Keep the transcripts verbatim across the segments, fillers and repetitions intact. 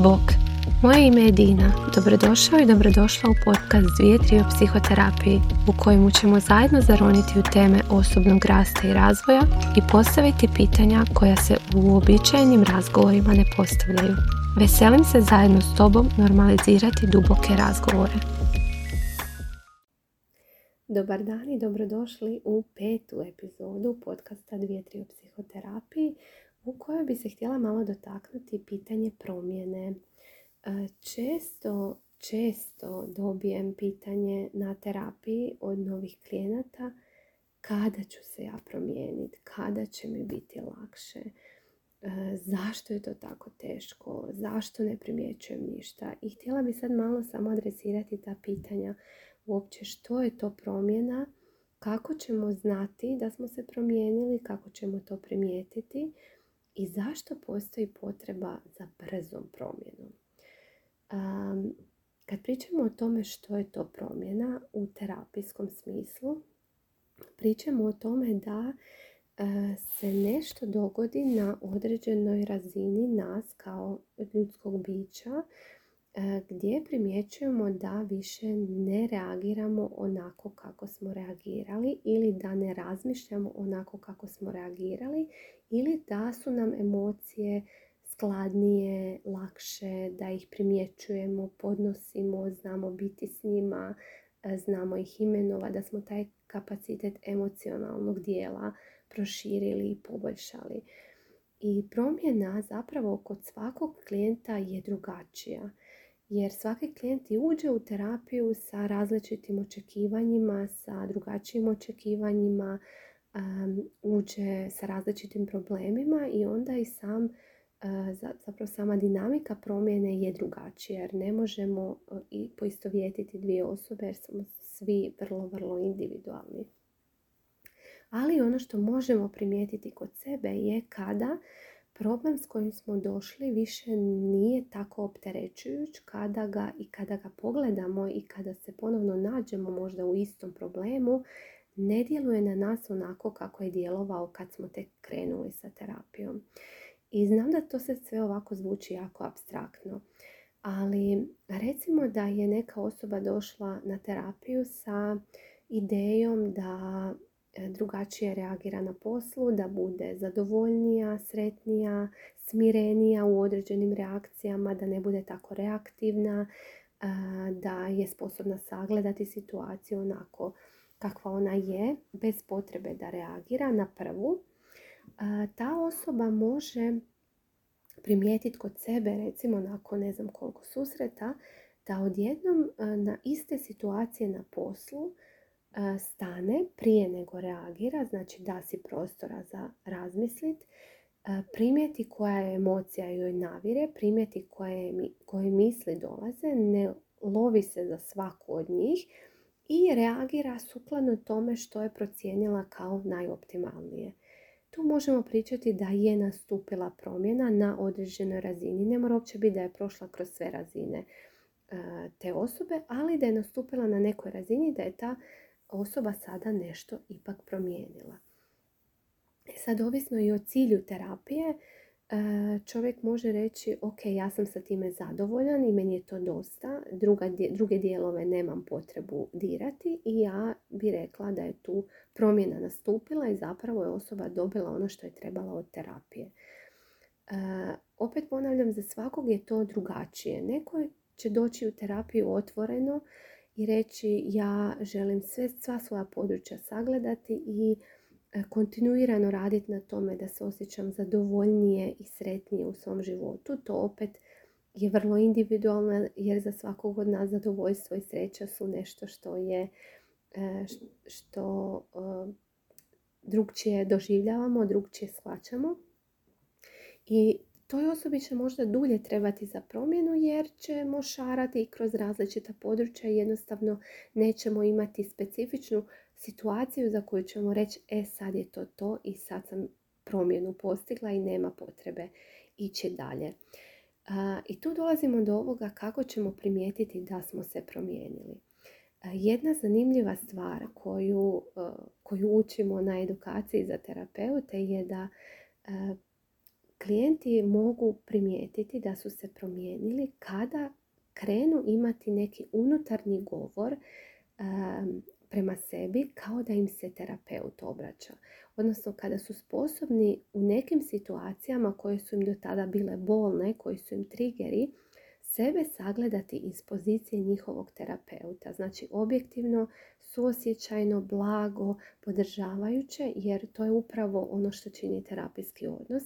Bok, moje ime je Dina. Dobrodošao i dobrodošla u podcast Dvije tri o psihoterapiji, u kojemu ćemo zajedno zaroniti u teme osobnog rasta i razvoja i postaviti pitanja koja se u uobičajenim razgovorima ne postavljaju. Veselim se zajedno s tobom normalizirati duboke razgovore. Dobar dan i dobrodošli u petu epizodu podcasta Dvije tri o psihoterapiji, u kojoj bi se htjela malo dotaknuti pitanje promjene. Često, često dobijem pitanje na terapiji od novih klijenata kada ću se ja promijeniti, kada će mi biti lakše, zašto je to tako teško, zašto ne primjećujem ništa. I htjela bi sad malo samo adresirati ta pitanja. Uopće što je to promjena, kako ćemo znati da smo se promijenili, kako ćemo to primijetiti i zašto postoji potreba za brzom promjenom. Um, kad pričamo o tome što je to promjena u terapijskom smislu, pričamo o tome da uh, se nešto dogodi na određenoj razini nas kao ljudskog bića, uh, gdje primjećujemo da više ne reagiramo onako kako smo reagirali ili da ne razmišljamo onako kako smo reagirali ili da su nam emocije skladnije, lakše, da ih primjećujemo, podnosimo, znamo biti s njima, znamo ih imenovati, da smo taj kapacitet emocionalnog dijela proširili i poboljšali. I promjena zapravo kod svakog klijenta je drugačija. Jer svaki klijent i uđe u terapiju sa različitim očekivanjima, sa drugačijim očekivanjima, um, uđe sa različitim problemima i onda i sam zapravo sama dinamika promjene je drugačija jer ne možemo i poistovjetiti dvije osobe jer smo svi vrlo, vrlo individualni. Ali ono što možemo primijetiti kod sebe je kada problem s kojim smo došli više nije tako opterećujuć, kada ga i kada ga pogledamo i kada se ponovno nađemo možda u istom problemu, ne djeluje na nas onako kako je djelovao kad smo tek krenuli sa terapijom. I znam da to se sve ovako zvuči jako apstraktno, ali recimo da je neka osoba došla na terapiju sa idejom da drugačije reagira na poslu, da bude zadovoljnija, sretnija, smirenija u određenim reakcijama, da ne bude tako reaktivna, da je sposobna sagledati situaciju onako kakva ona je, bez potrebe da reagira na prvu. Ta osoba može primijetiti kod sebe, recimo nakon ne znam koliko susreta, da odjednom na iste situacije na poslu stane prije nego reagira, znači da si prostora za razmislit, primijeti koja je emocija joj navire, primijeti koje, koje misli dolaze, ne lovi se za svaku od njih i reagira sukladno tome što je procijenila kao najoptimalnije. Tu možemo pričati da je nastupila promjena na određenoj razini. Ne mora uopće biti da je prošla kroz sve razine te osobe, ali da je nastupila na nekoj razini, da je ta osoba sada nešto ipak promijenila. Sad, ovisno i o cilju terapije, čovjek može reći ok, ja sam sa time zadovoljan i meni je to dosta, Druga, druge dijelove nemam potrebu dirati i ja bi rekla da je tu promjena nastupila i zapravo je osoba dobila ono što je trebala od terapije. E, opet ponavljam, za svakog je to drugačije. Neko će doći u terapiju otvoreno i reći ja želim sve, sva svoja područja sagledati i kontinuirano raditi na tome da se osjećam zadovoljnije i sretnije u svom životu. To opet je vrlo individualno jer za svakog od nas zadovoljstvo i sreća su nešto što je što drugčije doživljavamo, drugčije shvaćamo. I toj osobi će možda dulje trebati za promjenu jer ćemo šarati kroz različita područja i jednostavno nećemo imati specifičnu situaciju za koju ćemo reći e sad je to to i sad sam promjenu postigla i nema potrebe ići dalje. A, I tu dolazimo do ovoga kako ćemo primijetiti da smo se promijenili. A, jedna zanimljiva stvar koju, koju učimo na edukaciji za terapeute je da a, klijenti mogu primijetiti da su se promijenili kada krenu imati neki unutarnji govor um, prema sebi kao da im se terapeut obraća. Odnosno kada su sposobni u nekim situacijama koje su im do tada bile bolne, koji su im triggeri, sebe sagledati iz pozicije njihovog terapeuta. Znači objektivno, suosjećajno, blago, podržavajuće, jer to je upravo ono što čini terapijski odnos.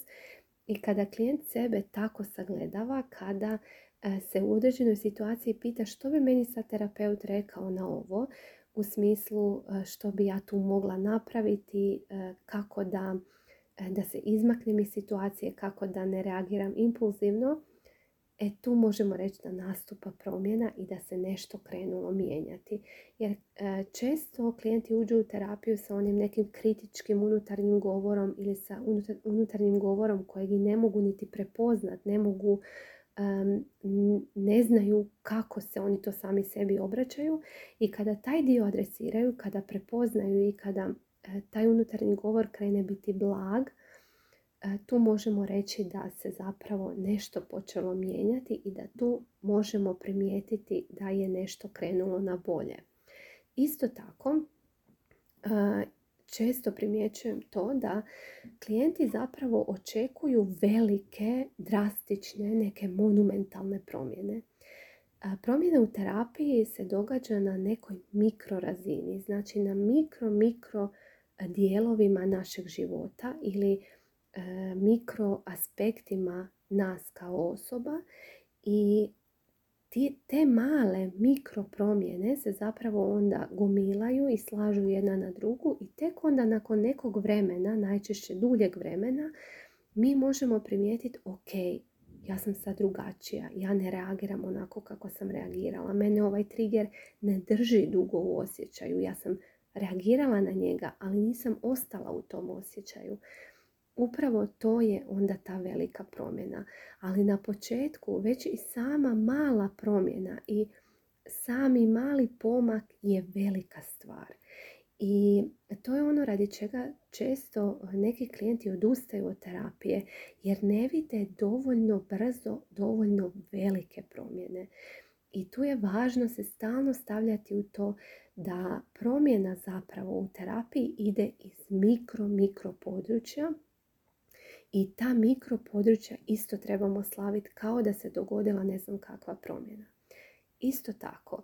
I kada klijent sebe tako sagledava, kada se u određenoj situaciji pita što bi meni sad terapeut rekao na ovo, u smislu što bi ja tu mogla napraviti, kako da, da se izmaknem iz situacije, kako da ne reagiram impulzivno, e tu možemo reći da nastupa promjena i da se nešto krenulo mijenjati. Jer e, često klijenti uđu u terapiju sa onim nekim kritičkim unutarnjim govorom ili sa unutar, unutarnjim govorom kojeg i ne mogu niti prepoznat, ne mogu, um, ne znaju kako se oni to sami sebi obraćaju. I kada taj dio adresiraju, kada prepoznaju i kada e, taj unutarnji govor krene biti blag, tu možemo reći da se zapravo nešto počelo mijenjati i da tu možemo primijetiti da je nešto krenulo na bolje. Isto tako, često primjećujem to da klijenti zapravo očekuju velike, drastične, neke monumentalne promjene. Promjena u terapiji se događa na nekoj mikrorazini, znači na mikro, mikro dijelovima našeg života ili mikro aspektima nas kao osoba i ti, te male mikro promjene se zapravo onda gomilaju i slažu jedna na drugu i tek onda nakon nekog vremena, najčešće duljeg vremena, mi možemo primijetiti ok, ja sam sad drugačija, ja ne reagiram onako kako sam reagirala, mene ovaj trigger ne drži dugo u osjećaju, ja sam reagirala na njega, ali nisam ostala u tom osjećaju. Upravo to je onda ta velika promjena. Ali na početku već i sama mala promjena i sami mali pomak je velika stvar. I to je ono radi čega često neki klijenti odustaju od terapije jer ne vide dovoljno brzo, dovoljno velike promjene. I tu je važno se stalno stavljati u to da promjena zapravo u terapiji ide iz mikro, mikro područja. I ta mikropodručja isto trebamo slaviti kao da se dogodila ne znam kakva promjena. Isto tako,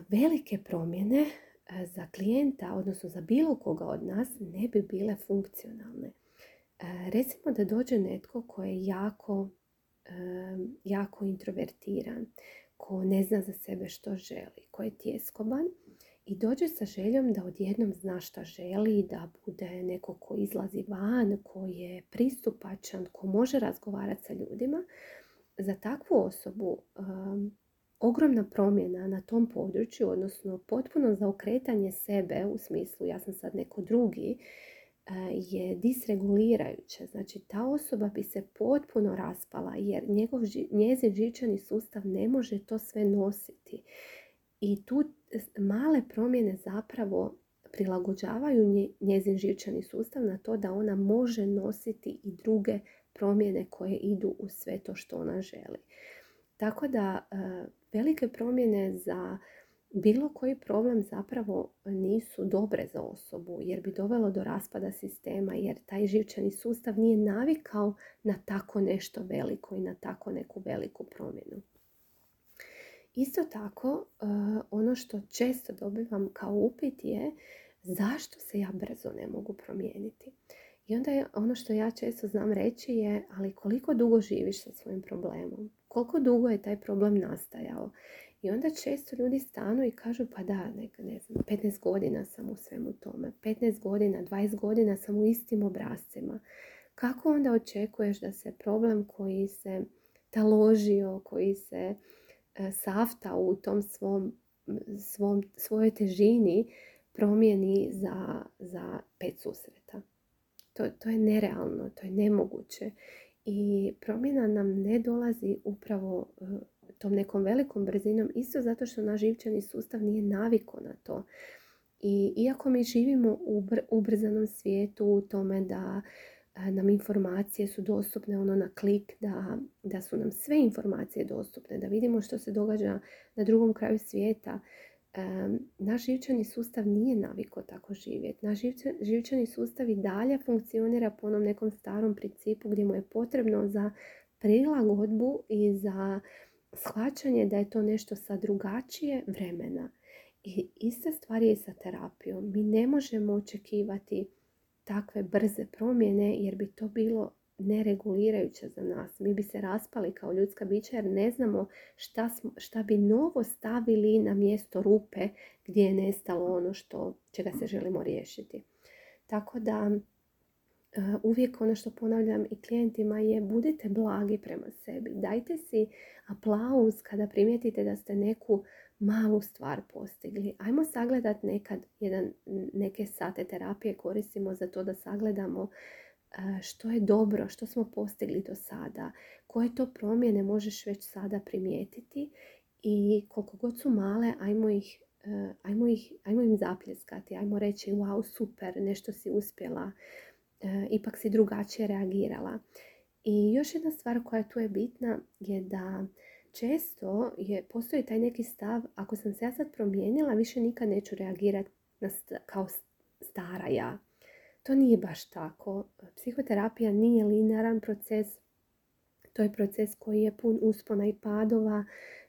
velike promjene za klijenta, odnosno za bilo koga od nas, ne bi bile funkcionalne. Recimo da dođe netko ko je jako, jako introvertiran, ko ne zna za sebe što želi, ko je tjeskoban. I dođe sa željom da odjednom zna šta želi, da bude neko ko izlazi van, ko je pristupačan, ko može razgovarati sa ljudima. Za takvu osobu um, ogromna promjena na tom području, odnosno potpuno zaokretanje sebe u smislu ja sam sad neko drugi, uh, je disregulirajuće. Znači ta osoba bi se potpuno raspala jer njegov, njezin živčani sustav ne može to sve nositi. I tu male promjene zapravo prilagođavaju njezin živčani sustav na to da ona može nositi i druge promjene koje idu u sve to što ona želi. Tako da velike promjene za bilo koji problem zapravo nisu dobre za osobu jer bi dovelo do raspada sistema jer taj živčani sustav nije navikao na tako nešto veliko i na tako neku veliku promjenu. Isto tako, ono što često dobivam kao upit je zašto se ja brzo ne mogu promijeniti. I onda je ono što ja često znam reći je ali koliko dugo živiš sa svojim problemom? Koliko dugo je taj problem nastajao? I onda često ljudi stanu i kažu pa da, ne, ne znam, petnaest godina sam u svemu tome. petnaest godina, dvadeset godina sam u istim obrascima. Kako onda očekuješ da se problem koji se taložio, koji se safta u tom svom, svom, svojoj težini promijeni za, za pet susreta. To, to je nerealno, to je nemoguće. I promjena nam ne dolazi upravo uh, tom nekom velikom brzinom, isto zato što naš živčani sustav nije navikao na to. I iako mi živimo u br- ubrzanom svijetu, u tome da nam informacije su dostupne ono na klik, da, da su nam sve informacije dostupne, da vidimo što se događa na drugom kraju svijeta. Um, naš živčani sustav nije navikao tako živjeti. Naš živčan, živčani sustav i dalje funkcionira po onom nekom starom principu gdje mu je potrebno za prilagodbu i za shvaćanje da je to nešto sa drugačije vremena. I ista stvar je i sa terapijom. Mi ne možemo očekivati takve brze promjene jer bi to bilo neregulirajuće za nas. Mi bi se raspali kao ljudska bića jer ne znamo šta, smo, šta bi novo stavili na mjesto rupe gdje je nestalo ono što, čega se želimo riješiti. Tako da uh, uvijek ono što ponavljam i klijentima je budite blagi prema sebi. Dajte si aplauz kada primijetite da ste neku malu stvar postigli. Ajmo sagledati nekad jedan, neke sate terapije koristimo za to da sagledamo što je dobro, što smo postigli do sada, koje to promjene možeš već sada primijetiti i koliko god su male, ajmo ih, ajmo ih, ajmo im zapljeskati, ajmo reći wow, super, nešto si uspjela, ipak si drugačije reagirala. I još jedna stvar koja tu je bitna je da često je, postoji taj neki stav, ako sam se ja sad promijenila, više nikad neću reagirati na st- kao stara ja. To nije baš tako. Psihoterapija nije linearan proces. To je proces koji je pun uspona i padova,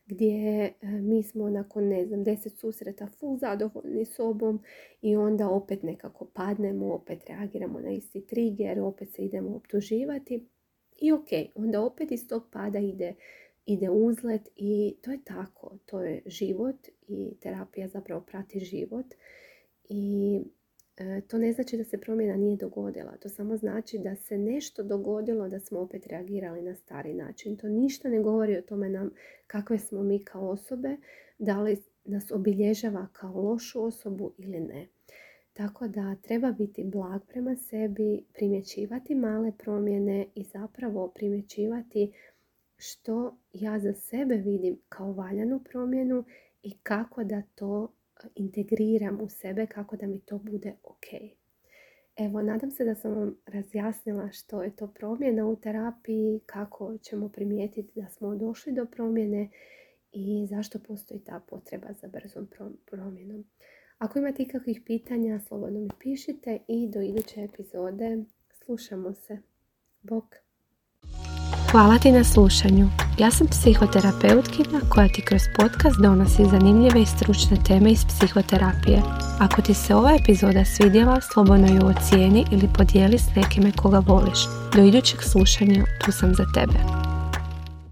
gdje mi smo nakon, ne znam, deset susreta full zadovoljni sobom i onda opet nekako padnemo, opet reagiramo na isti trigger, opet se idemo optuživati. I ok, onda opet iz tog pada ide ide uzlet i to je tako, to je život i terapija zapravo prati život i e, to ne znači da se promjena nije dogodila, to samo znači da se nešto dogodilo da smo opet reagirali na stari način. To ništa ne govori o tome nam kakve smo mi kao osobe, da li nas obilježava kao lošu osobu ili ne. Tako da treba biti blag prema sebi, primjećivati male promjene i zapravo primjećivati što ja za sebe vidim kao valjanu promjenu i kako da to integriram u sebe, kako da mi to bude ok. Evo, nadam se da sam vam razjasnila što je to promjena u terapiji, kako ćemo primijetiti da smo došli do promjene i zašto postoji ta potreba za brzom promjenom. Ako imate ikakvih pitanja, slobodno mi pišite i do iduće epizode slušamo se. Bok! Hvala ti na slušanju. Ja sam psihoterapeutkinja koja ti kroz podcast donosi zanimljive i stručne teme iz psihoterapije. Ako ti se ova epizoda svidjela, slobodno ju ocijeni ili podijeli s nekime koga voliš. Do idućeg slušanja, tu sam za tebe.